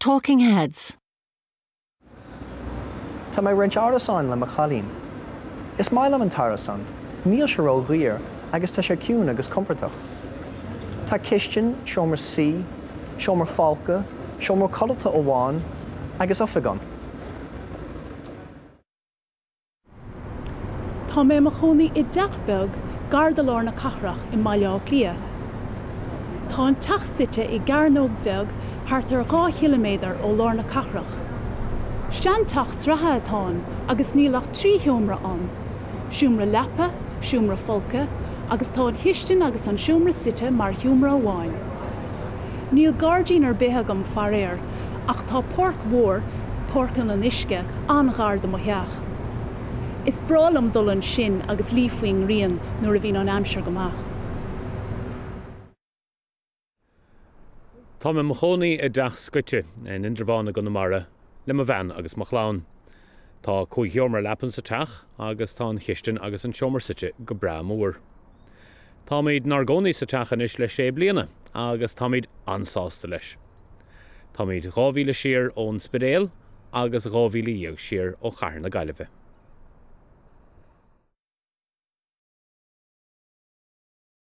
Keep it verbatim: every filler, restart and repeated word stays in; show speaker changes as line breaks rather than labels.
Talking Heads.
Tá mé ag roinnt árasáin le mo chailín. Is maith liom an t-árasán, níl sé ró-dhaor agus tá sé ciúin agus compordach. Tá cistin, seomra suí, seomra folctha, seomra codlata amháin agus oifig ann.
Tá mé i mo chónaí i dteach beag gar do lár na cathrach i mBaile Átha Cliath. Tá an teach suite i gcearnóg bheag thart ar dhá chiliméadar ó lár na cathrach. Seanteach sraithe atá ann agus níl ach trí sheomra ann, seomra leapa, seomra folctha, agus tá an chistin agus an seomra suite mar sheomra amháin. Níl gairdín ar bith agam faraor, ach tá páirc mhór, Páirc an Fhionnuisce, an-ghar do mo theach. Is breá liom dul ansin agus luí faoin ngrian nuair a bhíonn an aimsir go maith.
Tá mé i mo chónaí i dteach scoite in Indreabhán i gConamara le mo bhean agus mo chlann. Tá cúig sheomra leapan sa teach agus tá an chistin agus an seomra suite go breá mór. Táimid inár gcónaí sa teach anois le sé bliana agus táimid an-sásta leis. Táimid dhá mhíle siar ón Spidéal agus dhá mhíle dhéag siar ó chathair na Gaillimhe.